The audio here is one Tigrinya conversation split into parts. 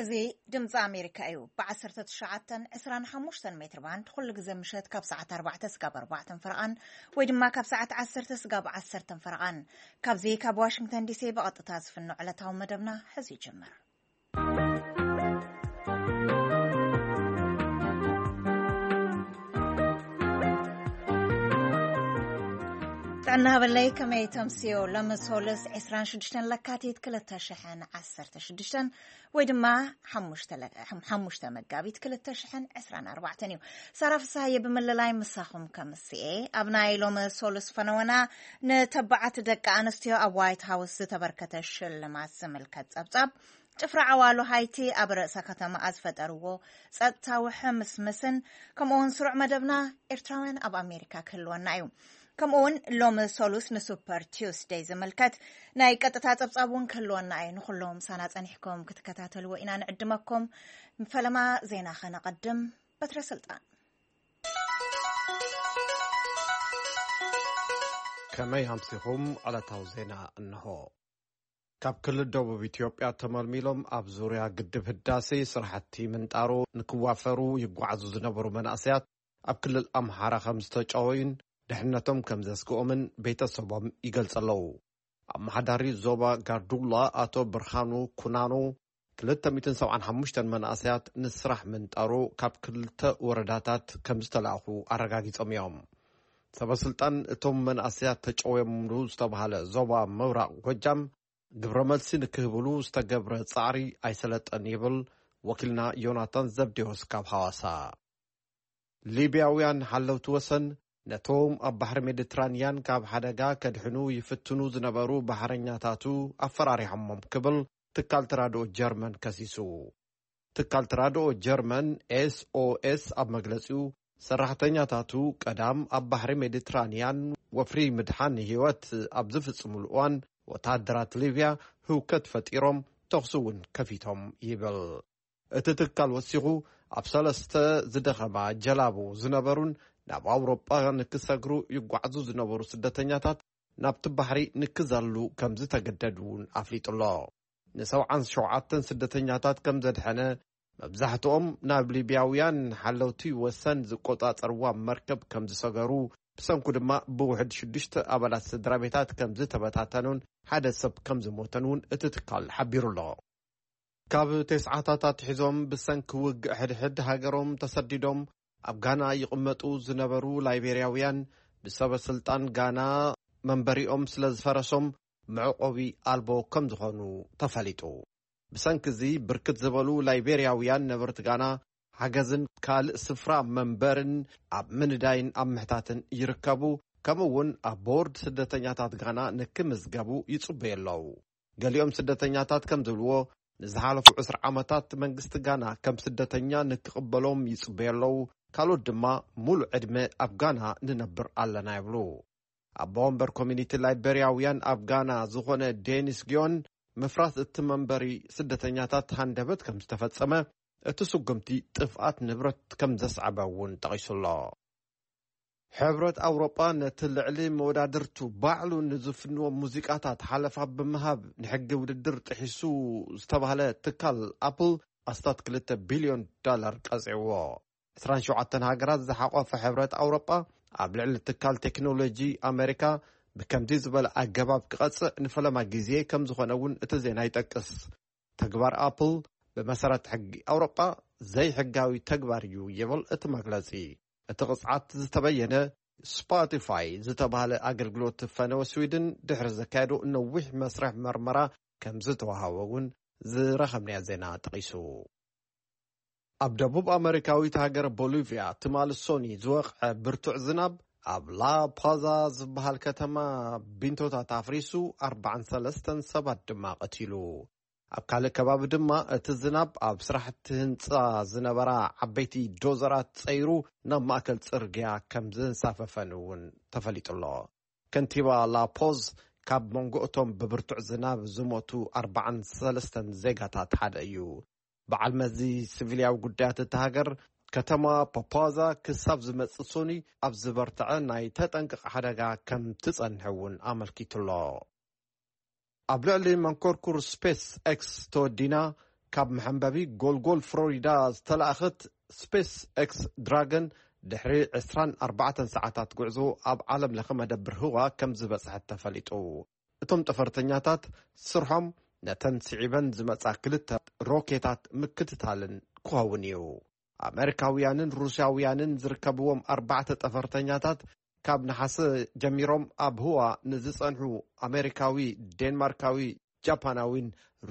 እዚ ድምፂ ኣሜሪካ እዩ። ብ19፣ 25 ሜትር ባንድ ኩሉ ግዜ ምሸት ካብ ሰዓት ኣርባዕተ ስጋብ ኣርባዕተን ፈረቓን፣ ወይ ድማ ካብ ሰዓት ዓሰርተ ስጋብ ዓሰርተን ፈረቓን። ካብዚ ካብ ዋሽንግተን ዲሲ ብቐጥታ ዝፍኖ ዕለታዊ መደብና ሕዚ ይጅምር። ጥዕና ሃበለይ፣ ከመይ ተምስዮ? ሎሚ ሶልስ ዕስራን ሽዱሽተን ለካቲት ክልተ ሽሕን ዓሰርተ ሽዱሽተን፣ ወይ ድማ ሓሙሽተ ለ-፣ ሓሙሽተ መጋቢት ክልተ ሽሕን ዕስራን ኣርባዕተን እዩ። ሳራ ፍስሃየ ብምልላይ ምሳኹም ከምስኤ። ኣብ ናይ ሎሚ ሶልስ ፈነወና፣ ንተባዓት ደቂ ኣንስትዮ ኣብ ዋይት ሃውስ ዝተበርከተ ሽልማት ዝምልከት ጸብጻብ፣ ጭፍራ ዓዋሉ ሃይቲ ኣብ ርእሰ ከተማኣ ዝፈጠርዎ ጸጥታዊ ሕምስምስን፣ ከምኡ እውን ስሩዕ መደብና ኤርትራውያን ኣብ ኣሜሪካ ክህልወና እዩ። ከምኡ እውን ሎሚ ሶሉስ ንሱፐር ቲውስደይ ዝምልከት ናይ ቀጥታ ጸብጻብ እውን ክህልወና እዩ። ንኹሎም ሳና ጸኒሕኩም ክትከታተልዎ ኢና ንዕድመኩም። ፈለማ ዜና ከነቐድም። በትረ ስልጣን። ከመይ ኣምሲኹም? ዕለታዊ ዜና እንሆ። ካብ ክልል ደቡብ ኢትዮጵያ ተመልሚሎም ኣብ ዙርያ ግድብ ህዳሴ ስራሕቲ ምንጣሮ ንክዋፈሩ ይጓዓዙ ዝነበሩ መናእሰያት ኣብ ክልል ኣምሓራ ከም ዝተጨወዩን ድሕነቶም ከም ዘስግኦምን ቤተሰቦም ይገልጹ ኣለዉ። ኣመሓዳሪ ዞባ ጋርዱላ ኣቶ ብርሃኑ ኩናኖ፣ ክልተ ሚእትን ሰብዓን ሓሙሽተን መናእሰያት ንስራሕ ምንጣሮ ካብ ክልተ ወረዳታት ከም ዝተላእኹ ኣረጋጊጾም እዮም። ሰበ ስልጣን እቶም መናእሰያት ተጨውዮምሉ ዝተባህለ ዞባ ምብራቕ ጎጃም፣ ግብረ መልሲ ንክህብሉ ዝተገብረ ጻዕሪ ኣይሰለጠን ይብል ወኪልና ዮናታን ዘብዴዎስ ካብ ሃዋሳ። ሊብያውያን ሓለውቲ ወሰን ነቶም ኣብ ባሕሪ ሜዲትራንያን ካብ ሓደጋ ከድሕኑ ይፍትኑ ዝነበሩ ባሕረኛታቱ ኣፈራሪሖሞም ክብል ትካል ተራድኦ ጀርመን ከሲሱ። ትካል ተራድኦ ጀርመን ኤስኦኤስ ኣብ መግለጺኡ፣ ሰራሕተኛታቱ ቀዳም ኣብ ባሕሪ ሜዲትራንያን ወፍሪ ምድሓን ህይወት ኣብ ዝፍጽሙሉ እዋን፣ ወተሃደራት ሊብያ ህውከት ፈጢሮም፣ ተኹሲ እውን ከፊቶም ይብል። እቲ ትካል ወሲኹ፣ ኣብ ሰለስተ ዝደኸማ ጀላቡ ዝነበሩን ናብ ኣውሮጳ ንክሰግሩ ይጓዓዙ ዝነበሩ ስደተኛታት ናብቲ ባሕሪ ንክዘሉ ከም ዝተገደዱ እውን ኣፍሊጡ ኣሎ። ንሰብዓን ሸውዓተን ስደተኛታት ከም ዘድሐነ፣ መብዛሕትኦም ናብ ሊብያውያን ሓለውቲ ወሰን ዝቆጻጸርዋ መርከብ ከም ዝሰገሩ፣ ብሰንኩ ድማ ብውሕድ ሽዱሽተ ኣባላት ስድራ ቤታት ከም ዝተበታተኑን ሓደ ሰብ ከም ዝሞተን እውን እቲ ትካል ሓቢሩ ኣሎ። ካብ ተስዓታት ኣትሒዞም ብሰንኪ ውግእ ሕድሕድ ሃገሮም ተሰዲዶም ኣብ ጋና ይቕመጡ ዝነበሩ ላይቤርያውያን፣ ብሰበ ስልጣን ጋና መንበሪኦም ስለ ዝፈረሶም መዕቆቢ ኣልቦ ከም ዝኾኑ ተፈሊጡ። ብሰንኪ እዚ ብርክት ዝበሉ ላይቤርያውያን ነበርቲ ጋና ሓገዝን ካልእ ስፍራ መንበርን ኣብ ምንዳይን ኣብ ምሕታትን ይርከቡ። ከምኡ እውን ኣብ ቦርድ ስደተኛታት ጋና ንክምዝገቡ ይጽበዩ ኣለዉ። ገሊኦም ስደተኛታት ከም ዝብልዎ፣ ንዝሓለፉ ዕስራ ዓመታት መንግስቲ ጋና ከም ስደተኛ ንክቕበሎም ይጽበዩ ኣለዉ። ካልኦት ድማ ሙሉእ ዕድመ ኣብ ጋና ንነብር ኣለና ይብሉ። ኣቦ ወንበር ኮሚኒቲ ላይቤርያውያን ኣብ ጋና ዝኾነ ዴኒስ ጊዮን፣ ምፍራስ እቲ መንበሪ ስደተኛታት ሃንደበት ከም ዝተፈጸመ፣ እቲ ስጉምቲ ጥፍኣት ንብረት ከም ዘስዓበ እውን ጠቒሱ ኣሎ። ሕብረት ኣውሮጳ ነቲ ልዕሊ መወዳድርቱ ባዕሉ ንዝፍንዎ ሙዚቃታት ሓለፋ ብምሃብ ንሕጊ ውድድር ጥሒሱ ዝተባህለ ትካል ኣፕል ኣስታት ክልተ ቢልዮን ዶላር ቀጺዕዎ። ዕስራን ሸውዓተን ሃገራት ዝሓቖፈ ሕብረት ኣውሮጳ ኣብ ልዕሊ ትካል ቴክኖሎጂ ኣሜሪካ ብከምዚ ዝበለ ኣገባብ ክቐጽዕ ንፈለማ ግዜ ከም ዝኾነ እውን እቲ ዜና ይጠቅስ። ተግባር ኣፕል ብመሰረት ሕጊ ኣውሮጳ ዘይሕጋዊ ተግባር እዩ ይብል እቲ መግለጺ። እቲ ቅጽዓት ዝተበየነ ስፖቲፋይ ዝተባህለ ኣገልግሎት ፈነወ ስዊድን ድሕሪ ዘካየዶ ነዊሕ መስርሕ መርመራ ከም ዝተዋሃቦ እውን ዝረኸብናዮ ዜና ጠቒሱ። ኣብ ደቡብ ኣመሪካዊት ሃገር ቦሊቪያ ትማሊ ሶኒ ዝወቕዐ ብርቱዕ ዝናብ ኣብ ላ ፓዛ ዝበሃል ከተማ ቢንቶታት ኣፍሪሱ ኣርባዓን ሰለስተን ሰባት ድማ ቀቲሉ። ኣብ ካልእ ከባቢ ድማ እቲ ዝናብ ኣብ ስራሕቲ ህንጻ ዝነበራ ዓበይቲ ዶዘራት ጸይሩ ናብ ማእከል ጽርግያ ከም ዘንሳፈፈን እውን ተፈሊጡ ኣሎ። ከንቲባ ላፖዝ ካብ መንጎ እቶም ብብርቱዕ ዝናብ ዝሞቱ ኣርባዓን ሰለስተን ዜጋታት ሓደ እዩ። በዓል መዚ ሲቪልያዊ ጉዳያት እታ ሃገር፣ ከተማ ፓፓዛ ክሳብ ዝመጽእ ሶኒ ኣብ ዝበርትዐ ናይ ተጠንቀቕ ሓደጋ ከም ትጸንሕ እውን ኣመልኪቱ ኣሎ። ኣብ ልዕሊ መንኮርኩር ስፔስ ኤክስ ተወዲና ካብ መሐንበቢ ጎልጎል ፍሎሪዳ ዝተላእኸት ስፔስ ኤክስ ድራገን ድሕሪ ዕስራን ኣርባዕተን ሰዓታት ጉዕዞ ኣብ ዓለም ለኸ መደብር ህዋ ከም ዝበጽሐት ተፈሊጡ። እቶም ጠፈርተኛታት ስርሖም ነተን ስዒበን ዝመጻ ክልተ ሮኬታት ምክትታልን ክኸውን እዩ። ኣመሪካውያንን ሩስያውያንን ዝርከብዎም ኣርባዕተ ጠፈርተኛታት ካብ ነሓሰ ጀሚሮም ኣብ ህዋ ንዝጸንሑ ኣመሪካዊ፣ ዴንማርካዊ፣ ጃፓናዊን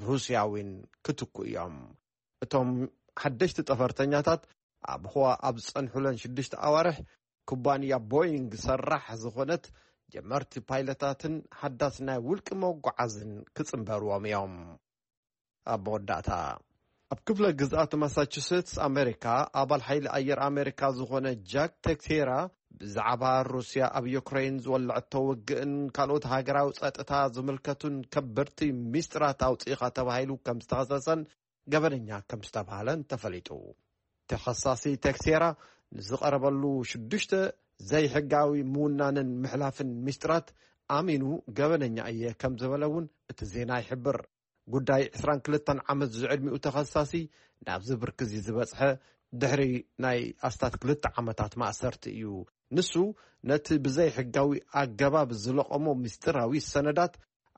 ሩስያዊን ክትኩ እዮም። እቶም ሓደሽቲ ጠፈርተኛታት ኣብ ህዋ ኣብ ዝጸንሑለን ሽዱሽተ ኣዋርሕ ኩባንያ ቦይንግ ሰራሕ ዝኾነት ጀመርቲ ፓይለታትን ሓዳስ ናይ ውልቂ መጓዓዝን ክጽንበርዎም እዮም። ኣብ መወዳእታ፣ ኣብ ክፍለ ግዝኣት ማሳቹሴትስ ኣሜሪካ ኣባል ሓይሊ ኣየር ኣሜሪካ ዝኾነ ጃክ ቴክሴራ ብዛዕባ ሩስያ ኣብ ዩክሬን ዝወለዐቶ ውግእን ካልኦት ሃገራዊ ጸጥታ ዝምልከቱን ከበድቲ ሚስጥራት ኣውጺእኻ ተባሂሉ ከም ዝተኸሰሰን ገበነኛ ከም ዝተባህለን ተፈሊጡ። ተኸሳሲ ቴክሴራ ንዝቐረበሉ ሽዱሽተ ዘይሕጋዊ ምውናንን ምሕላፍን ሚስጥራት ኣሚኑ ገበነኛ እየ ከም ዝበለ እውን እቲ ዜና ይሕብር። ጉዳይ ዕስራን ክልተን ዓመት ዝዕድሚኡ ተኸሳሲ ናብዚ ብርኪ እዚ ዝበጽሐ ድሕሪ ናይ ኣስታት ክልተ ዓመታት ማእሰርቲ እዩ። ንሱ ነቲ ብዘይ ሕጋዊ ኣገባብ ዝለቐሞ ምስጢራዊ ሰነዳት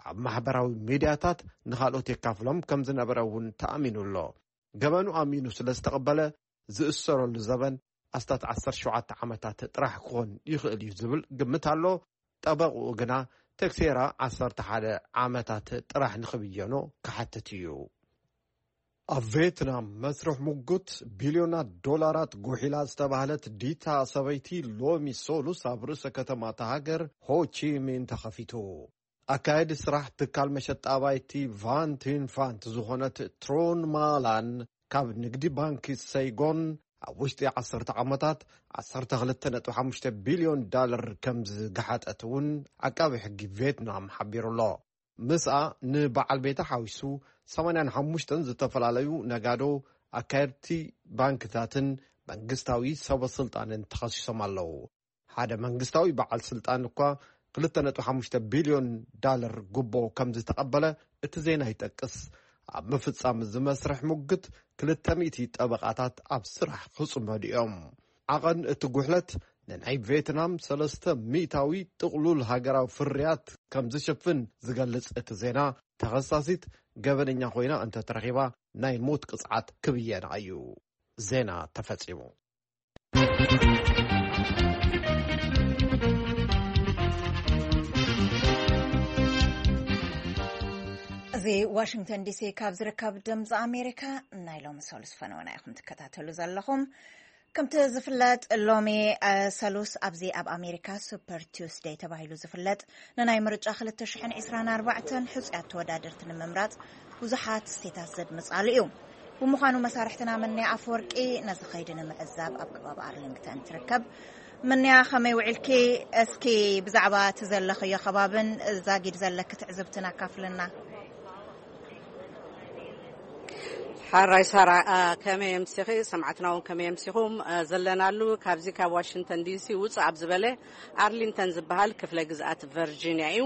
ኣብ ማሕበራዊ ሚድያታት ንኻልኦት የካፍሎም ከም ዝነበረ እውን ተኣሚኑ ኣሎ። ገበኑ ኣሚኑ ስለ ዝተቐበለ ዝእሰረሉ ዘበን ኣስታት ዓሰርተ ሸውዓተ ዓመታት ጥራሕ ክኾን ይኽእል እዩ ዝብል ግምት ኣሎ። ጠበቕኡ ግና ቴክሴራ ዓሰርተ ሓደ ዓመታት ጥራሕ ንኽብየኖ ክሓትት እዩ። ኣብ ቬትናም መስርሕ ሙጉት ቢልዮናት ዶላራት ጉሒላ ዝተባህለት ዲታ ሰበይቲ ሎሚ ሶሉስ ኣብ ርእሰ ከተማ እታ ሃገር ሆቺሚን ተኸፊቱ። ኣካየዲ ስራሕ ትካል መሸጣ ኣባይቲ ቫንቲን ፋንት ዝኾነት ትሮን ማላን ካብ ንግዲ ባንኪ ሰይጎን ኣብ ውሽጢ ዓሰርተ ዓመታት ዓሰርተ ክልተ ነጥቢ ሓሙሽተ ቢልዮን ዳለር ከም ዝገሓጠት እውን ዓቃቢ ሕጊ ቬትናም ሓቢሩ ኣሎ። ምስኣ ንበዓል ቤታ ሓዊሱ ሰማንያን ሓሙሽተን ዝተፈላለዩ ነጋዶ፣ ኣካየድቲ ባንክታትን መንግስታዊ ሰበ ስልጣንን ተኸሲሶም ኣለዉ። ሓደ መንግስታዊ በዓል ስልጣን እኳ ክልተ ነጥቢ ሓሙሽተ ቢልዮን ዳለር ጉቦ ከም ዝተቐበለ እቲ ዜና ይጠቅስ። ኣብ ምፍጻም እዚ መስርሕ ሙግት ክልተ ሚእቲ ጠበቓታት ኣብ ስራሕ ክጽመዱ እዮም። ዓቐን እቲ ጉሕለት ንናይ ቬትናም ሰለስተ ሚእታዊ ጥቕሉል ሃገራዊ ፍርያት ከም ዝሽፍን ዝገልጽ እቲ ዜና፣ ተኸሳሲት ገበነኛ ኮይና እንተተረኺባ ናይ ሞት ቅጽዓት ክብየና እዩ። ዜና ተፈጺሙ። እዚ ዋሽንግተን ዲሲ ካብ ዝርከብ ድምፂ ኣሜሪካ ናይ ሎሚ ሰሉስ ፈነወና ኢኹም ትከታተሉ ዘለኹም። ከምቲ ዝፍለጥ ሎሚ፣ እ፣ ሰሉስ ኣብዚ ኣብ ኣሜሪካ ሱፐር ቲውስደይ ተባሂሉ ዝፍለጥ ንናይ ምርጫ ክልተ ሽሕን ዕስራን ኣርባዕተን ሕጹያት ተወዳደርቲ ንምምራጽ ብዙሓት ስቴታት ዘድምጻሉ እዩ። ብምዃኑ መሳርሕትና ምንያ ኣፈወርቂ ነዚ ኸይዲ ንምዕዛብ ኣብ ከባቢ ኣርሊንግተን ትርከብ። ምንያ ከመይ ውዒልኪ? እስኪ ብዛዕባ እቲ ዘለኽዮ ከባብን ዛጊድ ዘለኪ ትዕዝብትን ኣካፍልና። ሓራይ ሳራ፣ አ፣ ከመይ ኣምሲኺ? ሰማዕትና እውን ከመይ ኣምሲኹም? አ፣ ዘለናሉ ካብዚ ካብ ዋሽንግተን ዲሲ ውፅእ ኣብ ዝበለ ኣርሊንግተን ዝበሃል ክፍለ ግዝኣት ቨርጂንያ እዩ።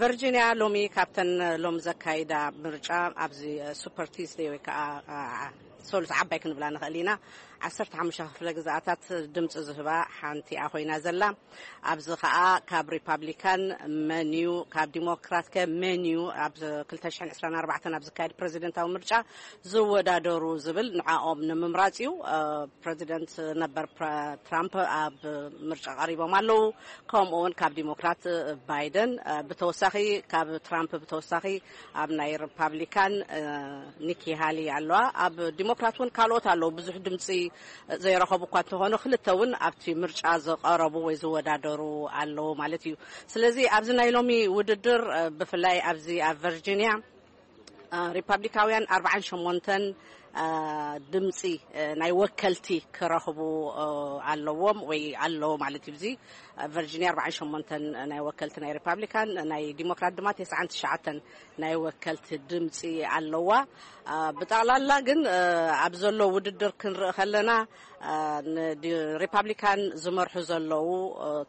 ቨርጂንያ ሎሚ ካብተን ሎም ዘካይዳ ምርጫ ኣብዚ ሱፐር ቲስደይ ወይ ከዓ፣ አ፣ ሶሉስ ዓባይ ክንብላ ንኽእል ኢና። ዓሰርተ ሓሙሽተ ክፍለ ግዝኣታት ድምፂ ዝህባ ሓንቲ እያ ኮይና ዘላ። ኣብዚ ኸኣ ካብ ሪፓብሊካን መን እዩ፣ ካብ ዲሞክራት ከ መን እዩ ኣብ ክልተ ሽሕን ዕስራን ኣርባዕተን ኣብ ዝካየድ ፕረዚደንታዊ ምርጫ ዝወዳደሩ ዝብል ንዕኦም ንምምራጽ እዩ። እ፣ ፕረዚደንት ነበር ፕረ-፣ ትራምፕ ኣብ ምርጫ ቀሪቦም ኣለዉ። ከምኡ እውን ካብ ዲሞክራት ባይደን፣ እ፣ ብተወሳኺ፣ ካብ ትራምፕ ብተወሳኺ ኣብ ናይ ሪፓብሊካን፣ እ፣ ኒኪ ሃሊ ኣለዋ። ኣብ ዲሞክራት እውን ካልኦት ኣለዉ። ብዙሕ ድምፂ ዘይረኸቡ እኳ እንተኾኑ፣ ክልተ እውን ኣብቲ ምርጫ ዝቐረቡ ወይ ዝወዳደሩ ኣለዉ ማለት እዩ። ስለዚ ኣብዚ ናይ ሎሚ ውድድር፣ እ፣ ብፍላይ ኣብዚ ኣብ ቨርጂንያ፣ እ፣ ሪፓብሊካውያን ኣርባዓን ሸሞንተን፣ ድምፂ ናይ ወከልቲ ክረኽቡ ኣለዎም ወይ ኣለዎ ማለት እዩ። እዚ ቨርጂኒያ ኣርባዓን ሸሞንተን ናይ ወከልቲ ናይ ሪፓብሊካን፣ ናይ ዲሞክራት ድማ ተስዓን ትሽዓተን ናይ ወከልቲ ድምፂ ኣለዋ። ብጠቕላላ ግን ኣብ ዘሎ ውድድር ክንርኢ ከለና ሪፓብሊካን ዝመርሑ ዘለዉ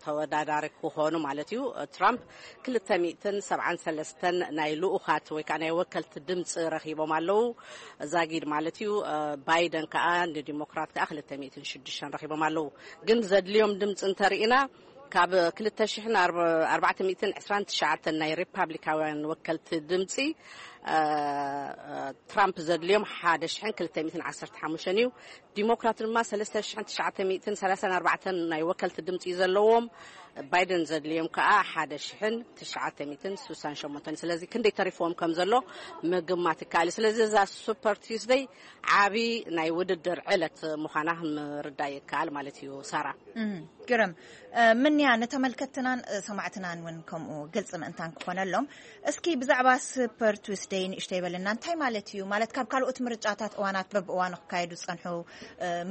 ተወዳዳሪ ክኾኑ ማለት እዩ። ትራምፕ ክልተ ሚእትን ሰብዓን ሰለስተን ናይ ልኡኻት ወይ ከዓ ናይ ወከልቲ ድምፂ ረኺቦም ኣለዉ፣ ዛጊድ ማለት እዩ። ባይደን ከዓ ንዲሞክራት ከዓ ክልተ ሚእትን ሽዱሽተን ረኺቦም ኣለዉ። ግን ዘድልዮም ድምፂ እንተርኢና ካብ ክልተ ሽሕን ኣርባዕተ ሚእትን ዕስራን ትሽዓተን ናይ ሪፓብሊካውያን ወከልቲ ድምፂ ትራምፕ ዘድልዮም ሓደ ሽሕን ክልተ ሚእትን ዓሰርተ ሓሙሽተን እዩ። ዲሞክራት ድማ ሰለስተ ሽሕን ትሽዓተ ሚእትን ሰላሳን ኣርባዕተን ናይ ወከልቲ ድምፂ እዩ ዘለዎም። ባይደን ዘድልዮም ከዓ ሓደ ሽሕን ትሽዓተ ሚእትን ስሳን ሸሞንተን። ስለዚ ክንደይ ተሪፍዎም ከም ዘሎ ምግማት ይከኣል እዩ። ስለዚ እዛ ሱፐር ቲስደይ ዓቢ ናይ ውድድር ዕለት ምዃና ምርዳእ ይከኣል ማለት እዩ። ሳራ። ግርም። ምንያ ንተመልከትናን ሰማዕትናን እውን ከምኡ ግልፂ ምእንታን ክኾነሎም፣ እስኪ ብዛዕባ ስፐር ቱስደይ ንእሽተይ በልና። እንታይ ማለት እዩ? ማለት ካብ ካልኦት ምርጫታት እዋናት በብእዋኑ ክካየዱ ዝፀንሑ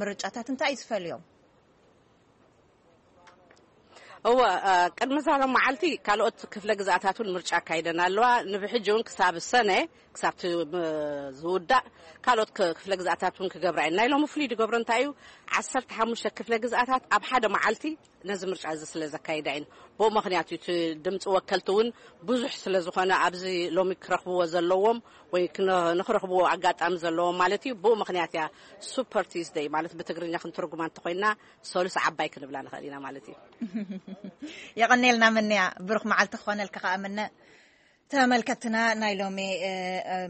ምርጫታት እንታይ እዩ ዝፈልዮም? እወ፣ ቅድሚ ዛሎም መዓልቲ ካልኦት ክፍለ ግዝኣታት እውን ምርጫ ኣካይደን ኣለዋ። ንብሕጂ እውን ክሳብ ሰነ ክሳብ ዝውዳእ ካልኦት ክፍለ ግዝኣታት እውን ክገብራ እየን። ናይ ሎሚ ፍሉይ ዝገብሮ እንታይ እዩ? ዓሰርተ ሓሙሽተ ክፍለ ግዝኣታት ኣብ ሓደ መዓልቲ ነዚ ምርጫ እዚ ስለ ዘካይዳ እየን። ብኡ ምክንያት እዩ እቲ ድምፂ ወከልቲ እውን ብዙሕ ስለ ዝኾነ ኣብዚ ሎሚ ክረኽብዎ ዘለዎም ወይ ንክረኽብዎ ኣጋጣሚ ዘለዎም ማለት እዩ። ብኡ ምክንያት እያ ሱፐር ቲስደይ ማለት ብትግርኛ ክንትርጉማ እንተኮይና ሰሉስ ዓባይ ክንብላ ንኽእል ኢና ማለት እዩ። የቐኔልና ምንያ፣ ብሩኽ መዓልቲ ክኾነልካ ከዓ ምነ። ተመልከትና ናይ ሎሚ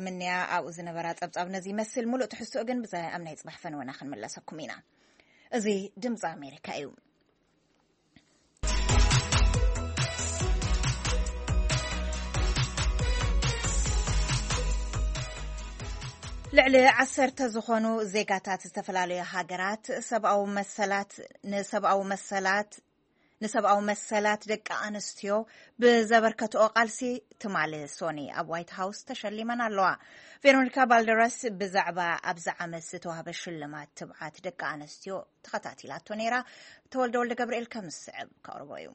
ምንያ ኣብኡ ዝነበራ ጸብጻብ ነዚ ይመስል። ሙሉእ ትሕዝትኡ ግን ብዛ ኣብ ናይ ጽባሕ ፈንወና ክንምለሰኩም ኢና። እዚ ድምፂ ኣሜሪካ እዩ። ልዕሊ ዓሰርተ ዝኾኑ ዜጋታት ዝተፈላለዩ ሃገራት ሰብኣዊ መሰላት ንሰብኣዊ መሰላት ንሰብኣዊ መሰላት ደቂ ኣንስትዮ ብዘበርከትኦ ቃልሲ ትማሊ ሶኒ ኣብ ዋይት ሃውስ ተሸሊመን ኣለዋ። ቬሮኒካ ባልደራስ ብዛዕባ ኣብዚ ዓመት ዝተዋህበ ሽልማት ትብዓት ደቂ ኣንስትዮ ተኸታቲላቶ ነይራ። ተወልደ ወልደ ገብርኤል ከም ዝስዕብ ከቕርቦ እዩ።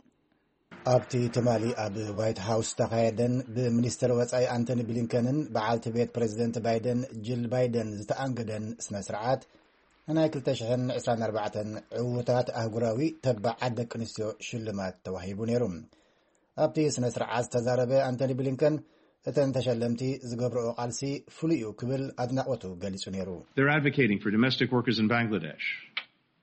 ኣብቲ ትማሊ ኣብ ዋይት ሃውስ ዝተኻየደን ብሚኒስትር ወጻኢ ኣንቶኒ ብሊንከንን በዓልቲ ቤት ፕሬዚደንት ባይደን ጂል ባይደን ዝተኣንገደን ስነ ስርዓት ንናይ ክልተ ሽሕን ዕስራን ኣርባዕተን ዕዉታት ኣህጉራዊ ተባዓት ደቂ ኣንስትዮ ሽልማት ተዋሂቡ ነይሩ። ኣብቲ ስነ ስርዓት ዝተዛረበ ኣንቶኒ ብሊንከን እተን ተሸለምቲ ዝገብርኦ ቃልሲ ፍሉይ እዩ ክብል ኣድናቖቱ ገሊጹ ነይሩ። They're advocating for domestic workers in Bangladesh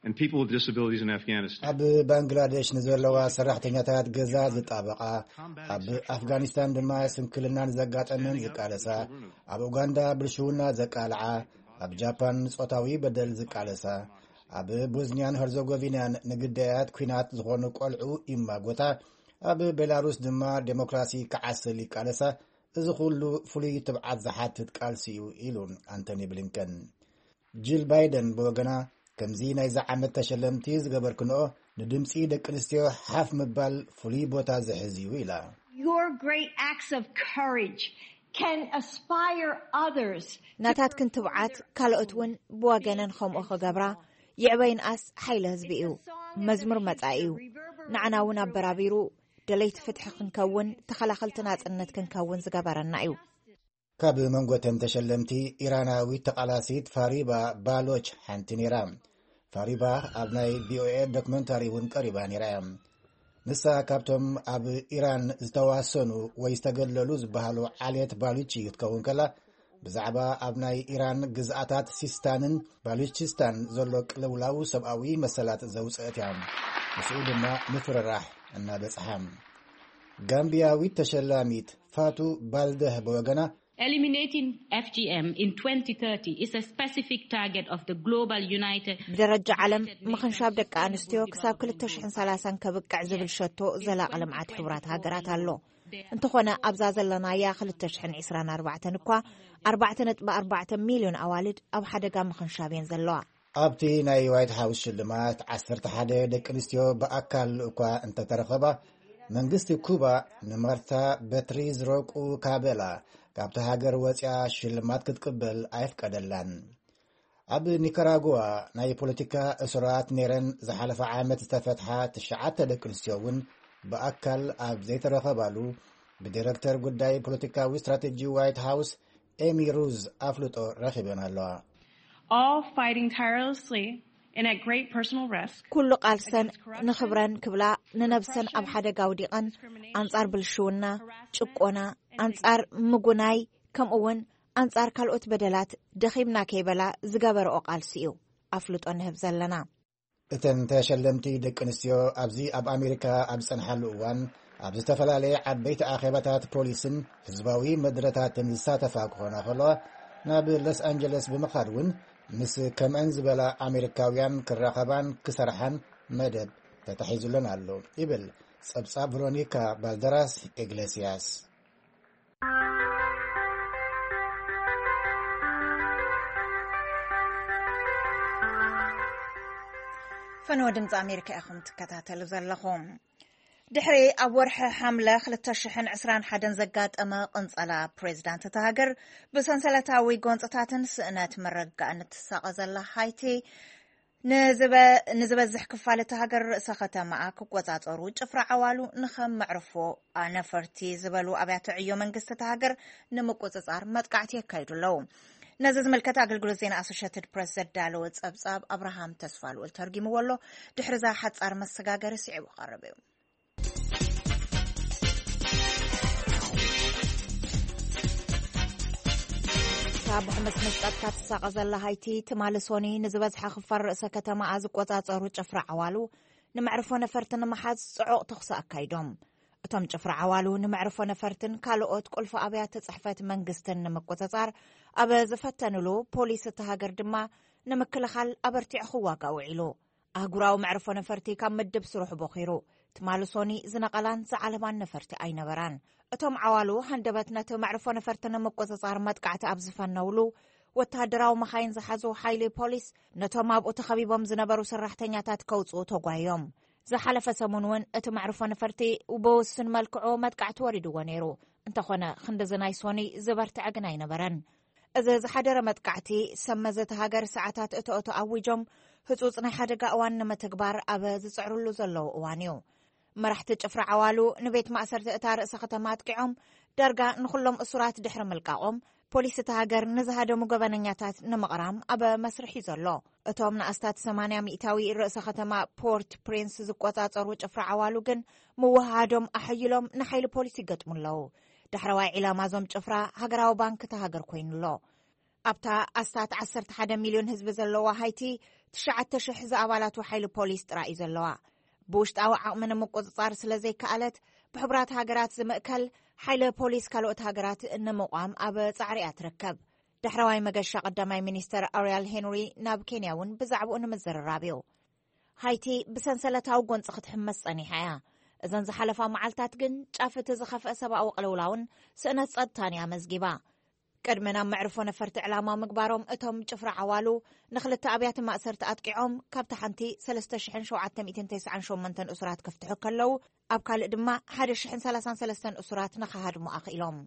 and people with disabilities in Afghanistan. ኣብ ባንግላዴሽ ንዘለዋ ሰራሕተኛታት ገዛ ዝጣበቓ፣ ኣብ ኣፍጋኒስታን ድማ ስንክልናን ዘጋጠመን ዝቃለሳ፣ ኣብ ኡጋንዳ ብልሽውና ዘቃልዓ፣ ኣብ ጃፓን ንጾታዊ በደል ዝቃለሳ፣ ኣብ ቦዝኒያን ሄርዞጎቪናን ንግዳያት ኲናት ዝኾኑ ቆልዑ ይማጎታ፣ ኣብ ቤላሩስ ድማ ዴሞክራሲ ክዓስል ይቃለሳ። እዚ ኩሉ ፍሉይ ትብዓት ዝሓትት ቃልሲ እዩ ኢሉ ኣንቶኒ ብሊንከን። ጂል ባይደን ብወገና ከምዚ ናይዚ ዓመት ተሸለምቲ ዝገበርክንኦ ንድምፂ ደቂ ኣንስትዮ ሓፍ ምባል ፍሉይ ቦታ ዝሕዝ እዩ ኢላ። Your great acts of courage can inspire others. ናታትክን ትብዓት ካልኦት እውን ብወገነን ከምኡ ክገብራ ይዕበይንኣስ ሓይሊ ህዝቢ እዩ። መዝሙር መጻኢ እዩ። ንዓና እውን ኣበራቢሩ ደለይቲ ፍትሒ ክንከውን ተኸላኸልቲ ናጽነት ክንከውን ዝገበረና እዩ። ካብ መንጎተን ተሸለምቲ ኢራናዊት ተቓላሲት ፋሪባ ባሎች ሓንቲ ነይራ። ፋሪባ ኣብ ናይ ቪኦኤ ዶክመንታሪ እውን ቀሪባ ነይራ እያ። ንሳ ካብቶም ኣብ ኢራን ዝተዋሰኑ ወይ ዝተገለሉ ዝበሃሉ ዓሌት ባሉቺ ክትከውን ከላ፣ ብዛዕባ ኣብ ናይ ኢራን ግዝኣታት ሲስታንን ባሉቺስታን ዘሎ ቅልውላው ሰብኣዊ መሰላት ዘውፅአት እያ። ምስኡ ድማ ምፍርራሕ እናበፅሓ። ጋምቢያዊት ተሸላሚት ፋቱ ባልደህ ብወገና፣ Eliminating F G M in twenty thirty is a specific target of the Global United. ብደረጃ ዓለም ምኽንሻብ ደቂ ኣንስትዮ ክሳብ ክልተ ሽሕን ሰላሳን ከብቅዕ ዝብል ሸቶ ዘላቒ ልምዓት ሕቡራት ሃገራት ኣሎ። እንተኾነ ኣብዛ ዘለናያ ክልተ ሽሕን ዕስራን ኣርባዕተን እኳ ኣርባዕተ ነጥቢ ኣርባዕተ ሚልዮን ኣዋልድ ኣብ ሓደጋ ምኽንሻብ እየን ዘለዋ። ኣብቲ ናይ ዋይት ሃውስ ሽልማት ዓሰርተ ሓደ ደቂ ኣንስትዮ ብኣካል እኳ እንተተረኸባ፣ መንግስቲ ኩባ ንማርታ በትሪዝ ሮቁ ካበላ ካብቲ ሃገር ወፂኣ ሽልማት ክትቅበል ኣይፍቀደላን። ኣብ ኒካራጉዋ ናይ ፖለቲካ እሱራት ነይረን ዝሓለፈ ዓመት ዝተፈትሓ ትሽዓተ ደቂ ኣንስትዮ እውን ብኣካል ኣብ ዘይተረኸባሉ፣ ብዲረክተር ጉዳይ ፖለቲካዊ ስትራቴጂ ዋይት ሃውስ ኤሚ ሩዝ ኣፍልጦ ረኺበን ኣለዋ። All fighting tirelessly and at great personal risk. ኩሉ ቃልሰን ንኽብረን ክብላ፣ ንነብሰን ኣብ ሓደጋ ኣውዲቐን፣ ኣንጻር ብልሽውና፣ ጭቆና፣ ኣንጻር ምጉናይ፣ ከምኡ እውን ኣንጻር ካልኦት በደላት ደኺምና ከይበላ ዝገበረኦ ቃልሲ እዩ ኣፍልጦ ንህብ ዘለና። እተን ተሸለምቲ ደቂ ኣንስትዮ ኣብዚ ኣብ ኣሜሪካ ኣብ ዝጸንሓሉ እዋን፣ ኣብ ዝተፈላለየ ዓበይቲ ኣኼባታት ፖሊስን ህዝባዊ መድረታትን ዝሳተፋ ክኾና ከለዋ፣ ናብ ሎስ ኣንጀለስ ብምኻድ እውን ምስ ከምአን ዝበላ ኣሜሪካውያን ክራኸባን ክሰርሓን መደብ ተታሒዙለን ኣሎ ይብል ጸብጻብ ቨሮኒካ ባልደራስ ኢግሌስያስ። ፈነወ ድምፂ ኣሜሪካ ኢኹም ትከታተሉ ዘለኹም። ድሕሪ ኣብ ወርሒ ሓምለ ክልተ ሽሕን ዕስራን ሓደን ዘጋጠመ ቅንጸላ፣ ፕሬዚዳንት እታ ሃገር ብሰንሰለታዊ ጎንፅታትን ስእነት መረጋእን እትሳቐ ዘላ ሃይቲ፣ ንዝበዝሕ ክፋል እታ ሃገር ርእሰ ከተማኣ ክቆጻጸሩ ጭፍራ ዓዋሉ ንኸም መዕርፎ ነፈርቲ ዝበሉ ኣብያተ ዕዮ መንግስቲ እታ ሃገር ንምቁጽጻር መጥቃዕቲ የካይዱ ኣለዉ። ነዚ ዝምልከት ኣገልግሎት ዜና ኣሶሽትድ ፕረስ ዘዳለወ ጸብጻብ ኣብርሃም ተስፋልኡል ተርጊምዎ ኣሎ። ድሕሪ እዛ ሓጻር መሰጋገሪ ስዒቡ ቀርብ እዩ። ካብ ሕመስ መስቀጥካ ትሳቐ ዘላ ሃይቲ፣ ትማሊ ሶኒ ንዝበዝሐ ክፋል ርእሰ ከተማኣ ዝቆጻጸሩ ጭፍራ ዓዋሉ ንመዕርፎ ነፈርቲ ንምሓዝ ጽዑቕ ተኹሲ ኣካይዶም። እቶም ጭፍራ ዓዋሉ ንመዕርፎ ነፈርትን ካልኦት ቁልፊ ኣብያተ ጽሕፈት መንግስትን ንምቁጽጻር ኣብ ዝፈተንሉ፣ ፖሊስ እቲ ሃገር ድማ ንምክልኻል ኣበርቲዑ ክዋጋእ ውዒሉ። ኣህጉራዊ መዕርፎ ነፈርቲ ካብ ምድብ ስርሑ ቦኺሩ። ትማሊ ሶኒ ዝነቐላን ዝዓለባን ነፈርቲ ኣይነበራን። እቶም ዓዋሉ ሃንደበት ነቲ መዕርፎ ነፈርቲ ንምቁጽጻር መጥቃዕቲ ኣብ ዝፈነውሉ፣ ወተሃደራዊ መኻይን ዝሓዙ ሓይሊ ፖሊስ ነቶም ኣብኡ ተኸቢቦም ዝነበሩ ሰራሕተኛታት ከውጽኡ ተጓዮም። ዝሓለፈ ሰሙን እውን እቲ መዕርፎ ነፈርቲ ብውሱን መልክዑ መጥቃዕቲ ወሪድዎ ነይሩ። እንተኾነ ክንድዚ ናይ ሶኒ ዝበርትዐ ግን ኣይነበረን። እዚ ዝሓደረ መጥቃዕቲ፣ ሰብ መዚ እታ ሃገር ሰዓታት እቶ እቶ ኣዊጆም ህጹጽ ናይ ሓደጋ እዋን ንምትግባር ኣብ ዝጽዕርሉ ዘለዉ እዋን እዩ። መራሕቲ ጭፍራ ዓዋሉ ንቤት ማእሰርቲ እታ ርእሰ ከተማ ኣጥቂዖም፣ ዳርጋ ንኹሎም እሱራት ድሕሪ ምልቃቖም፣ ፖሊስ እታ ሃገር ንዝሃደሙ ገበነኛታት ንምቕራም ኣብ መስርሕ እዩ ዘሎ። እቶም ንኣስታት ሰማንያ ሚእታዊ ርእሰ ከተማ ፖርት ፕሪንስ ዝቆጻጸሩ ጭፍራ ዓዋሉ ግን ምውሃሃዶም ኣሐይሎም ንሓይሊ ፖሊስ ይገጥሙ ኣለዉ። ዳሕረዋይ ዒላማ እዞም ጭፍራ ሃገራዊ ባንክ እታ ሃገር ኮይኑ ኣሎ። ኣብታ ኣስታት ዓሰርተ ሓደ ሚልዮን ህዝቢ ዘለዋ ሃይቲ፣ ትሽዓተ ሽሕ ዝኣባላቱ ሓይሊ ፖሊስ ጥራይ እዩ ዘለዋ። ብውሽጣዊ ዓቕሚ ንምቁጽጻር ስለ ዘይከኣለት፣ ብሕቡራት ሃገራት ዝምእከል ሓይሊ ፖሊስ ካልኦት ሃገራት ንምቋም ኣብ ጻዕሪ እያ ትርከብ። ዳሕረዋይ መገሻ ቀዳማይ ሚኒስተር ኣርያል ሄንሪ ናብ ኬንያ እውን ብዛዕባኡ ንምዝርራብ እዩ። ሃይቲ ብሰንሰለታዊ ጎንጺ ክትሕመስ ጸኒሓ እያ። እዘን ዝሓለፋ መዓልታት ግን ጫፍ እቲ ዝኸፍአ ሰብኣዊ ቅልውላውን ስእነት ጸጥታን እያ መዝጊባ። ቅድሚ ናብ መዕርፎ ነፈርቲ ዕላማ ምግባሮም፣ እቶም ጭፍራ ዓዋሉ ንኽልተ ኣብያተ ማእሰርቲ ኣጥቂዖም፣ ካብቲ ሓንቲ ሰለስተ ሽሕን ሸውዓተ ሚእትን ተስዓን ሸሞንተን እሱራት ክፍትሑ ከለዉ፣ ኣብ ካልእ ድማ ሓደ ሽሕን ሰላሳን ሰለስተን እሱራት ንኽሃድሙ ኣኽኢሎም።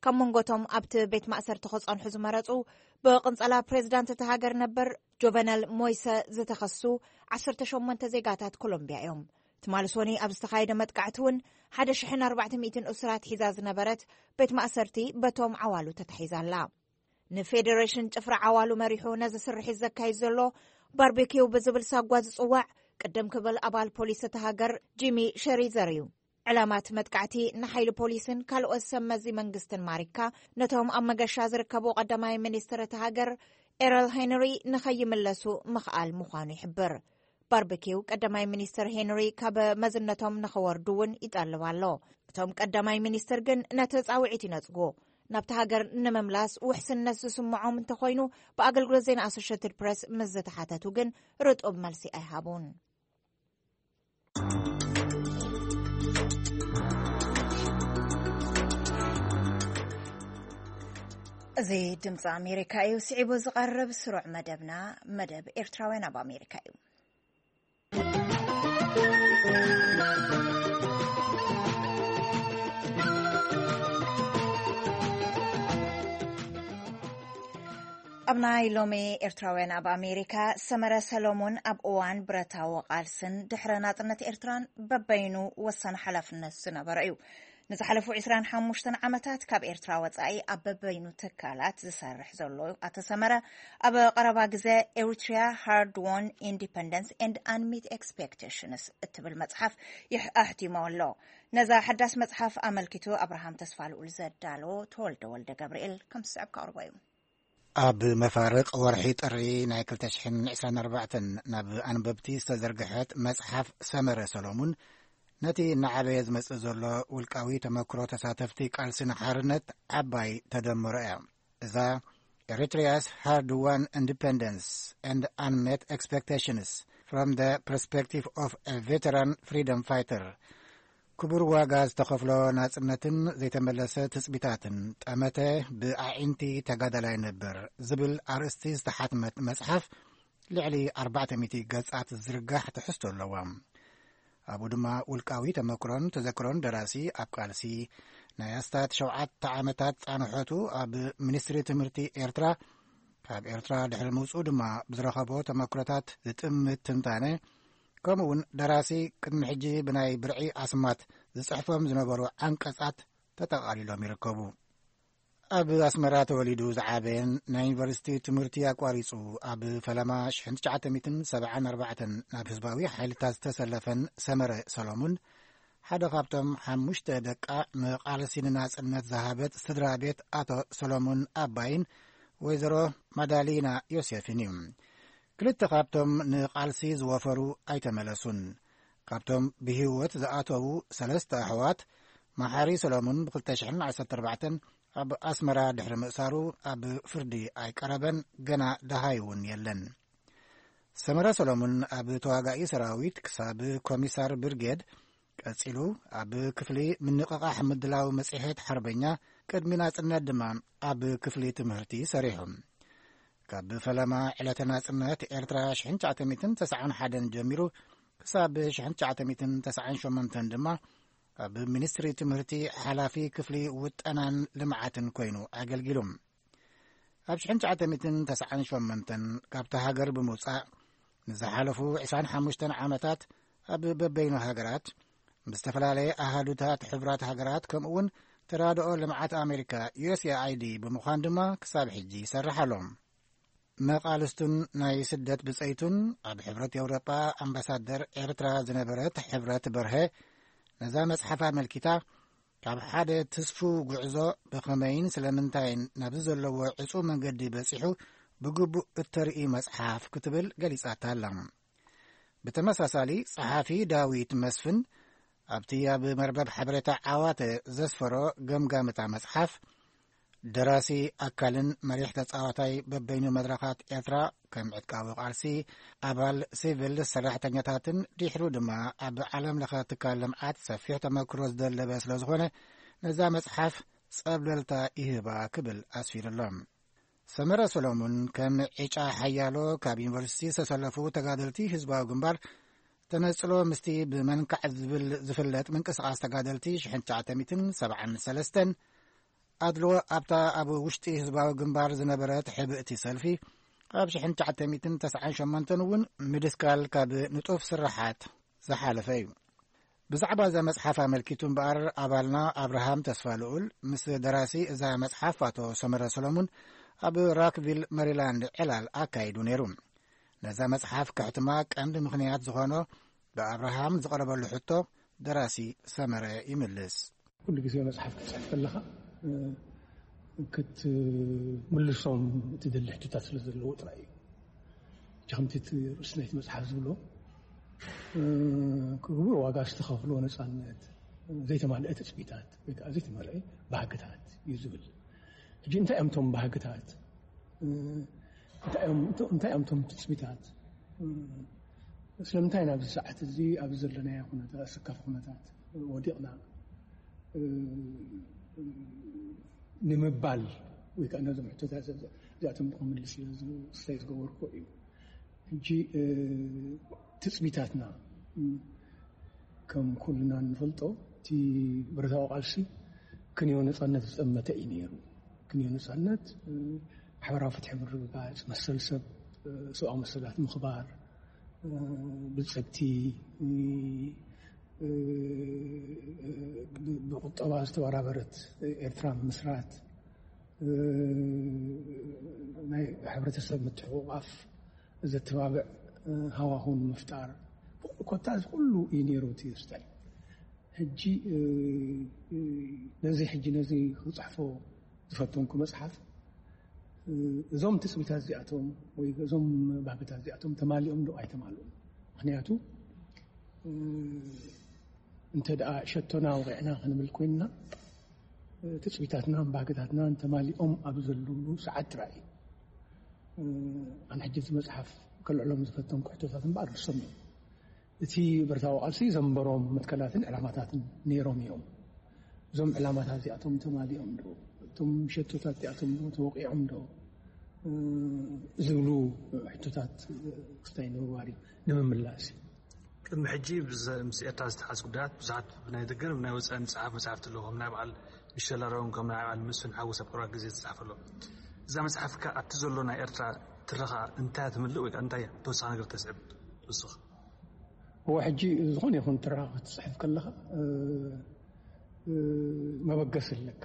ካብ መንጎቶም ኣብቲ ቤት ማእሰርቲ ክጸንሑ ዝመረጹ፣ ብቕንጸላ ፕሬዚዳንት እታ ሃገር ነበር ጆቨነል ሞይሰ ዝተኸሱ ዓሰርተ ሸሞንተ ዜጋታት ኮሎምቢያ እዮም። ትማሊ ሶኒ ኣብ ዝተኻየደ መጥቃዕቲ እውን ሓደ ሽሕን ኣርባዕተ ሚእትን እሱራት ሒዛ ዝነበረት ቤት ማእሰርቲ በቶም ዓዋሉ ተታሒዛ ኣላ። ንፌደሬሽን ጭፍራ ዓዋሉ መሪሑ ነዚ ስርሒት ዘካይድ ዘሎ ባርቤኪው ብዝብል ሳጓ ዝጽዋዕ፣ ቅድም ክብል ኣባል ፖሊስ እታ ሃገር ጂሚ ሸሪዘር እዩ። ዕላማት መጥቃዕቲ ንሓይሊ ፖሊስን ካልኦት ሰብ መዚ መንግስትን ማሪካ፣ ነቶም ኣብ መገሻ ዝርከቡ ቀዳማይ ሚኒስትር እታ ሃገር ኤረል ሄንሪ ንኸይምለሱ ምኽኣል ምዃኑ ይሕብር። ባርበኪው ቀዳማይ ሚኒስትር ሄንሪ ካብ መዝነቶም ንኸወርዱ እውን ይጠልብ ኣሎ። እቶም ቀዳማይ ሚኒስትር ግን ነቲ ጻውዒት ይነጽጉ። ናብቲ ሃገር ንምምላስ ውሕስነት ዝስምዖም እንተኾይኑ፣ ብኣገልግሎት ዜና ኣሶሽትድ ፕሬስ ምስ ዝተሓተቱ ግን ርጡብ መልሲ ኣይሃቡን። እዚ ድምፂ ኣሜሪካ እዩ። ስዒቡ ዝቐርብ ስሩዕ መደብና፣ መደብ ኤርትራውያን ኣብ ኣሜሪካ እዩ። ኣብ ናይ ሎሚ ኤርትራውያን ኣብ ኣሜሪካ፣ ሰመረ ሰሎሞን ኣብ እዋን ብረታዊ ቃልስን ድሕረ ናጽነት ኤርትራን በበይኑ ወሳኒ ሓላፍነት ዝነበረ እዩ። ንዝሓለፉ ዕስራን ሓሙሽተን ዓመታት ካብ ኤርትራ ወጻኢ ኣብ በበይኑ ትካላት ዝሰርሕ ዘሎ ኣቶ ሰመረ፣ ኣብ ቀረባ ግዜ Eritrea Hard Won Independence and Unmet Expectations እትብል መጽሓፍ ይሕ-፣ ኣሕቲሙ ኣሎ። ነዛ ሓዳስ መጽሓፍ ኣመልኪቱ ኣብርሃም ተስፋልኡል ዘዳሎ ተወልደ ወልደ ገብርኤል ከም ዝስዕብ ከቕርቦ እዩ። ኣብ መፋርቕ ወርሒ ጥሪ ናይ ክልተ ሽሕን ዕስራን ኣርባዕተን ናብ ኣንበብቲ ዝተዘርግሐት መጽሓፍ ሰመረ ሰሎሙን፣ ነቲ እናዓበየ ዝመጽእ ዘሎ ውልቃዊ ተመክሮ ተሳተፍቲ ቃልሲ ንሓርነት ዓባይ ተደምሮ እያ። እዛ Eritrea's Hard Won Independence and Unmet Expectations from the Perspective of a Veteran Freedom Fighter፣ ክቡር ዋጋ ዝተኸፍሎ ናጽነትን ዘይተመለሰ ትጽቢታትን፣ ጠመተ ብኣዒንቲ ተጋዳላይ ነበር ዝብል ኣርእስቲ ዝተሓትመት መጽሓፍ፣ ልዕሊ ኣርባዕተ ሚእቲ ገጻት ዝርጋሕ ትሕዝቶ ኣለዋ። ኣብኡ ድማ ውልቃዊ ተመክሮን ተዘክሮን ደራሲ ኣብ ቃልሲ፣ ናይ ኣስታት ሸውዓተ ዓመታት ጻንሖቱ ኣብ ሚኒስትሪ ትምህርቲ ኤርትራ፣ ካብ ኤርትራ ድሕሪ ምውጽኡ ድማ ብዝረኸቦ ተመክሮታት ዝጥምት ትንታነ፣ ከምኡ እውን ደራሲ ቅድሚ ሕጂ ብናይ ብርዒ ኣስማት ዝጽሕፎም ዝነበሩ ዓንቀጻት ተጠቓሊሎም ይርከቡ። ኣብ ኣስመራ ተወሊዱ ዝዓበየን ናይ ዩኒቨርሲቲ ትምህርቲ ኣቋሪጹ ኣብ ፈለማ ሽሕን ትሽዓተ ሚእትን ሰብዓን ኣርባዕተን ናብ ህዝባዊ ሓይልታት ዝተሰለፈን ሰመረ ሰሎሙን፣ ሓደ ካብቶም ሓሙሽተ ደቃ ንቃልሲ ንናጽነት ዝሃበት ስድራ ቤት ኣቶ ሰሎሙን ኣባይን ወይዘሮ ማዳሊና ዮሴፍን እዩ። ክልተ ካብቶም ንቃልሲ ዝወፈሩ ኣይተመለሱን። ካብቶም ብህይወት ዝኣተዉ ሰለስተ ኣሕዋት፣ መሓሪ ሰሎሙን ብ ክልተ ሽሕን ዓሰርተ ኣርባዕተን ኣብ ኣስመራ ድሕሪ ምእሳሩ ኣብ ፍርዲ ኣይቀረበን፣ ገና ደሃይ እውን የለን። ሰመረ ሰሎሙን ኣብ ተዋጋኢ ሰራዊት ክሳብ ኮሚሳር ብርጌድ፣ ቀጺሉ ኣብ ክፍሊ ምንቕቓሕ ምድላው መጽሔት ሓርበኛ፣ ቅድሚ ናጽነት ድማ ኣብ ክፍሊ ትምህርቲ ሰሪሑ። ካብ ፈለማ ዕለተ ናጽነት ኤርትራ ሽሕን ትሽዓተ ሚእትን ተስዓን ሓደን ጀሚሩ ክሳብ ሽሕን ትሽዓተ ሚእትን ተስዓን ሸሞንተን ድማ ኣብ ሚኒስትሪ ትምህርቲ ሓላፊ ክፍሊ ውጠናን ልምዓትን ኮይኑ ኣገልጊሉ። ኣብ ሽሕን ትሽዓተ ሚእትን ተስዓን ሸሞንተን ካብታ ሃገር ብምውጻእ፣ ንዝሓለፉ ዕስራን ሓሙሽተን ዓመታት ኣብ በበይኑ ሃገራት፣ ምስ ዝተፈላለየ ኣሃዱታት ሕቡራት ሃገራት፣ ከምኡ እውን ተራድኦ ልምዓት ኣሜሪካ፣ ዩ ኤስ ኤ ኣይ ዲ፣ ብምዃን ድማ ክሳብ ሕጂ ይሰርሕ ኣሎ። መቓልስቱን ናይ ስደት ብጸይቱን፣ ኣብ ሕብረት ኤውሮጳ ኣምባሳደር ኤርትራ ዝነበረት ሕብረት በርሀ፣ ነዛ መጽሓፍ ኣመልኪታ፣ ካብ ሓደ ትስፉው ጉዕዞ ብኸመይን ስለምንታይን ናብዚ ዘለዎ ዕጹው መንገዲ በጺሑ ብግቡእ እተርኢ መጽሓፍ ክትብል ገሊጻታ ኣላ። ብተመሳሳሊ፣ ጸሓፊ ዳዊት መስፍን ኣብቲ ኣብ መርበብ ሓበሬታ ዓዋተ ዘስፈሮ ገምጋም እታ መጽሓፍ፣ ደራሲ፣ ኣካልን መሪሕ ተጻዋታይ በበይኑ መድረኻት ኤርትራ፣ ከም ዕጥቃዊ ቃልሲ፣ ኣባል ሲቪል ሰራሕተኛታትን ድሕሩ ድማ ኣብ ዓለም ለኸ ትካል ልምዓት ሰፊሕ ተመክሮ ዝደለበ ስለ ዝኾነ፣ ነዛ መጽሓፍ ጸብለልታ ይህባ ክብል ኣስፊሩ ኣሎ። ሰመረ ሰሎሙን ከም ዕጫ ሓያሎ ካብ ዩኒቨርሲቲ ዝተሰለፉ ተጋደልቲ ህዝባዊ ግንባር፣ ተነጽሎ ምስቲ ብመንካዕ ዝብል ዝፍለጥ ምንቅስቓስ ተጋደልቲ ሽሕን ትሽዓተ ሚእትን ሰብዓን ሰለስተን፣ ኣድልዎ ኣብታ ኣብ ውሽጢ ህዝባዊ ግንባር ዝነበረት ሕብእቲ ሰልፊ፣ ኣብ ሽሕን ትሽዓተ ሚእትን ተስዓን ሸሞንተን እውን ምድስካል ካብ ንጡፍ ስራሓት ዝሓለፈ እዩ። ብዛዕባ እዛ መጽሓፍ ኣመልኪቱ እምበኣር፣ ኣባልና ኣብርሃም ተስፋልኡል ምስ ደራሲ እዛ መጽሓፍ ኣቶ ሰመረ ሰሎሙን ኣብ ራክቪል መሪላንድ ዕላል ኣካይዱ ነይሩ። ነዛ መጽሓፍ ከሕትማ ቀንዲ ምኽንያት ዝኾኖ ብኣብርሃም ዝቐረበሉ ሕቶ፣ ደራሲ ሰመረ ይምልስ። ኩሉ ግዜ መጽሓፍ ክትጽሕፍ ከለኻ፣ እ፣ ክትምልሶም እትደሊ ሕቶታት ስለ ዘለዎ ጥራይ እዩ። ከምቲ እቲ ርእሲ ናይቲ መጽሓፍ ዝብሎ፣ እ፣ ክቡር ዋጋ ዝተኸፍሎ ነጻነት፣ ዘይተማልአ ትጽቢታት፣ ወይ ከዓ ዘይተማልአ ባህግታት እዩ ዝብል። ሕጂ እንታይ እዮም እቶም ባህግታት? እ፣ እንታይ እዮም፣ እንታይ እዮም እቶም ትጽቢታት? እ፣ ስለምንታይ ናብዚ ሰዓት እዚ ኣብዚ ዘለናዮ ኩነታት፣ ኣሰካፊ ኩነታት ወዲቕና? እ፣ ንምባል ወይ ከዓ ነዞም ሕቶታት እዚኣቶም ክምልስ ኢለ ዝ-፣ ስታይ ዝገበርኩ እዩ። ሕጂ፣ እ፣ ትጽቢታትና፣ እ፣ ከም ኩልና እንፈልጦ፣ እቲ ብረታዊ ቃልሲ ክንዮ ነጻነት ዝጠመተ እዩ ነይሩ። ክንዮ ነጻነት፣ እ፣ ማሕበራዊ ፍትሒ ምርግጋጽ፣ መሰል ሰብ፣ ሰብኣዊ መሰላት ምኽባር፣ ብልጽግቲ፣ ብቁጠባ ዝተበራበረት ኤርትራ ምስራት፣ ናይ ሕብረተሰብ ምትሕቑቓፍ ዘተባብዕ ሃዋሁን ምፍጣር፣ ኮታ እዚ ኩሉ እዩ ነይሩ እቲ ስታይ። ሕጂ ነዚ ሕጂ ነዚ ክጽሕፎ ዝፈተንኩ መጽሓፍ፣ እዞም ትጽቢታት እዚኣቶም ወይ እዞም ባህግታት እዚኣቶም ተማሊኦም ዶ ኣይተማልኡን? ምኽንያቱ እንተ ደኣ ሸቶና ወቂዕና ክንብል ኮይንና፣ ትጽቢታትናን ባህግታትናን ተማሊኦም ኣብ ዘለሉ ሰዓት ጥራይ እዩ። ኣነ ሕጂ እዚ መጽሓፍ ከልዕሎም ዝፈተንኩ ሕቶታት እምበኣር ንሶም እዮም። እቲ ብረታዊ ቃልሲ ዘንበሮም መትከላትን ዕላማታትን ነይሮም እዮም። እዞም ዕላማታት እዚኣቶም ተማሊኦም ዶ? እቶም ሸቶታት እዚኣቶም ዶ ተወቂዖም ዶ? ዝብሉ ሕቶታት ክስታይ ንምግባር እዩ፣ ንምምላስ እዩ። ቅድሚ ሕጂ ምስ ኤርትራ ዝተሓዝ ጉዳያት ብዙሓት ብናይ ደገን ብናይ ወፃእን ዝፀሓፍ መፅሓፍቲ ኣለዎ። ከም ናይ በዓል ሚሸል ሮን፣ ከም ናይ በዓል መስፍን ሓጎስ ኣብ ቀረባ ግዜ ዝተፃሕፈ ኣሎ። እዛ መፅሓፍካ ኣብቲ ዘሎ ናይ ኤርትራ ትረኻ እንታይ ትምልእ ወይ ከዓ እንታይ ተወሳኺ ነገር ተስዕብ ትውስኽ? እወ፣ ሕጂ ዝኾነ ይኹን ትረኻ ክትፅሕፍ ከለኻ መበገሲ ኣለካ።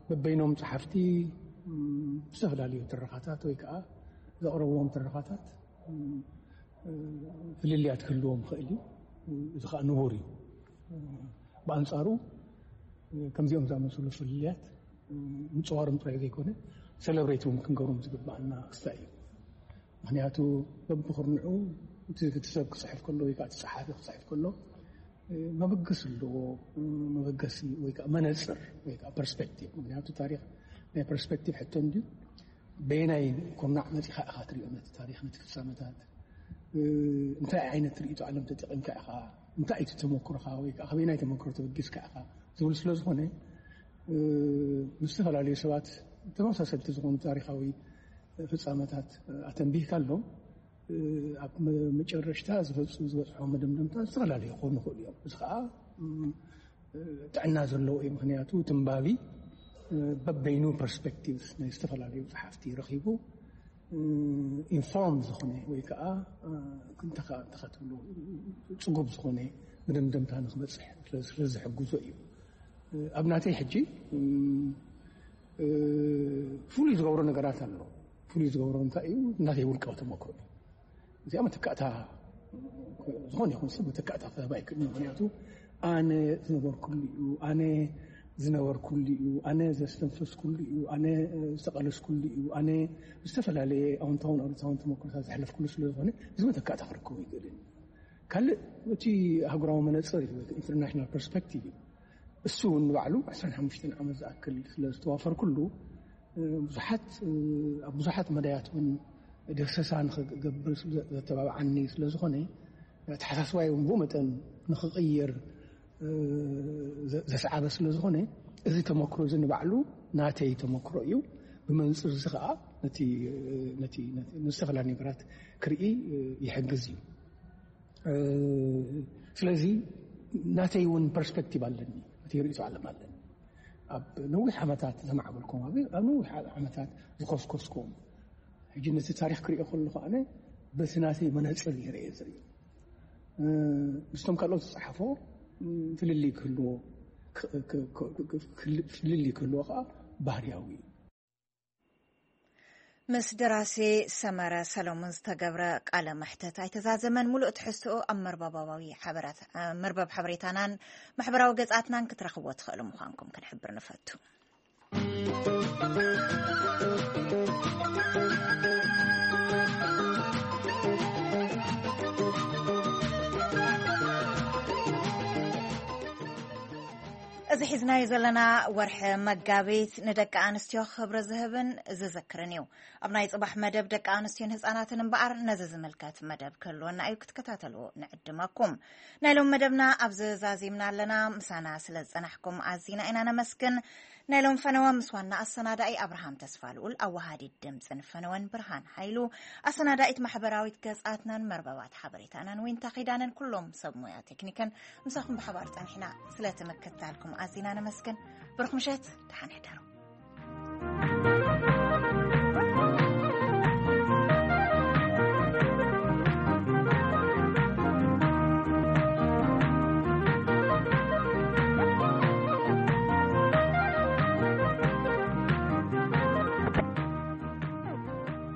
በበይኖም ፀሓፍቲ ዝተፈላለዩ ትረኻታት ወይ ከዓ ዘቕረብዎም ትረኻታት ፍልልያት ክህልዎም ይኽእል እዩ። እዚ ከዓ ንቡር እዩ። ብኣንፃሩ ከምዚኦም ዝኣመሰሉ ፍልልያት ምፅዋሮም ጥራይ ዘይኮነ፣ ሰለብሬት እውን ክንገብሮም ዝግባኣና ክስታይ እዩ። ምኽንያቱ በብኽርንዑ እቲ ሰብ ክፅሕፍ ከሎ ወይ ከዓ እቲ ፀሓፊ ክፅሕፍ ከሎ መበገሲ ኣለዎ። መበገሲ ወይ ከዓ መነፅር ወይ ከዓ ፐርስፔክቲቭ። ምኽንያቱ ታሪክ ናይ ፐርስፔክቲቭ ሕቶ እንድዩ። በየናይ ኩርናዕ መፂኻ ኢኻ ትሪኦ ነቲ ታሪክ፣ ነቲ ፍፃመታት? እንታይ ዓይነት ርእይቶ ዓለም ተጠቒምካ ኢኻ? እንታይ እዩ ተመክሮኻ ወይ ከዓ ከበየናይ ተመክሮ ተበጊስካ ኢኻ ዝብል ስለ ዝኾነ፣ ምስ ዝተፈላለዩ ሰባት ተመሳሰልቲ ዝኾኑ ታሪኻዊ ፍፃመታት ኣተንቢህካሎም፣ ኣብ መጨረሽታ ዝበፅሖም መደምደምታ ዝተፈላለዩ ክኾኑ ይኽእሉ እዮም። እዚ ከዓ ጥዕና ዘለዎ እዩ። ምኽንያቱ ትንባቢ በበይኑ ፐርስፔክቲቭ ናይ ዝተፈላለዩ ፀሓፍቲ ረኺቡ ኢንፎርም ዝኾነ ወይ ከዓ እንተኻ ትብሎ ፅጉብ ዝኾነ መደምደምታ ንክበፅሕ ስለ ዝሕግዞ እዩ። ኣብ ናተይ ሕጂ ፍሉይ ዝገብሮ ነገራት ኣሎ። ፍሉይ ዝገብሮ እንታይ እዩ? ናተይ ውልቃዊ ተመክሮ እዩ። እዚኣ መተካእታ፣ ዝኾነ ይኹን ሰብ መተካእታ ክህብ ኣይክእልን። ምኽንያቱ ኣነ ዝነበርኩሉ እዩ፣ ኣነ ዝነበርኩሉ እዩ፣ ኣነ ዘስተንፈስኩሉ እዩ፣ ኣነ ዝተቐለስኩሉ እዩ፣ ኣነ ዝተፈላለየ ኣወንታውን ኣሉታውን ተመክሮታት ዘሕለፍኩሉ ስለ ዝኾነ እዚ መተካእታ ክረክቦ ይኽእልን። ካልእ እቲ ኣህጉራዊ መነፅር እዩ፣ ኢንተርናሽናል ፐርስፔክቲቭ እዩ። እሱ እውን ንባዕሉ ዕስራን ሓሙሽተን ዓመት ዝኣክል ስለ ዝተዋፈርኩሉ ብዙሓት ኣብ ብዙሓት መዳያት እውን ደሰሳ ንክገብር ዘተባብዓኒ ስለ ዝኾነ፣ ኣተሓሳስባይ እውን ብኡ መጠን ንክቕይር ዘስዓበ ስለ ዝኾነ፣ እዚ ተመክሮ እዚ ንባዕሉ ናተይ ተመክሮ እዩ። ብመንፅር እዚ ከዓ ነቲ ነቲ ነቲ ንዝተፈላለዩ ነገራት ክርኢ ይሕግዝ እዩ። ስለዚ ናተይ እውን ፐርስፔክቲቭ ኣለኒ፣ እቲ ርእይቶ ዓለም ኣለኒ። ኣብ ነዊሕ ዓመታት ዘማዕበልኩም፣ ኣብ ኣብ ነዊሕ ዓመታት ዝኮስኮስኩም፣ ሕጂ ነቲ ታሪክ ክሪኦ ከለኹ ኣነ በቲ ናተይ መነፅር ይረየ ዝርኢ። ምስቶም ካልኦት ዝፀሓፎ ፍልልይ ክህልዎ፣ ፍልልይ ክህልዎ ከዓ ባህርያዊ እዩ። ምስ ደራሲ ሰመረ ሰለሙን ዝተገብረ ቃለ መሕተት ኣይተዛዘመን። ሙሉእ ትሕዝትኡ ኣብ መርበባዊ ሓበራት መርበብ ሓበሬታናን ማሕበራዊ ገጻትናን ክትረኽብዎ ትኽእሉ ምዃንኩም ክንሕብር ንፈቱ። እዚ ሒዝናዮ ዘለና ወርሒ መጋቢት ንደቂ ኣንስትዮ ክብሪ ዝህብን ዝዝክርን እዩ። ኣብ ናይ ጽባሕ መደብ ደቂ ኣንስትዮን ህጻናትን እምበኣር ነዚ ዝምልከት መደብ ክህልወና እዩ፣ ክትከታተልዎ ንዕድመኩም። ናይ ሎም መደብና ኣብዚ ዛዚምና ኣለና። ምሳና ስለ ዝጸናሕኩም ኣዚና ኢና ነመስግን። ናይ ሎም ፈነወ ምስ ዋና ኣሰናዳኢ ኣብርሃም ተስፋ ልኡል፣ ኣዋሃዲት ድምጽን ፈነወን ብርሃን ሓይሉ፣ ኣሰናዳኢት ማሕበራዊት ገጻትናን መርበባት ሓበሬታናን ዊንታ ኺዳነን፣ ኩሎም ሰብ ሞያ ቴክኒክን ምሳኹም ብሓባር ጸኒሕና። ስለቲ ምክትታልኩም ኣዚና ነመስግን። ብሩኽ ምሸት፣ ደሓን ሕደሩ።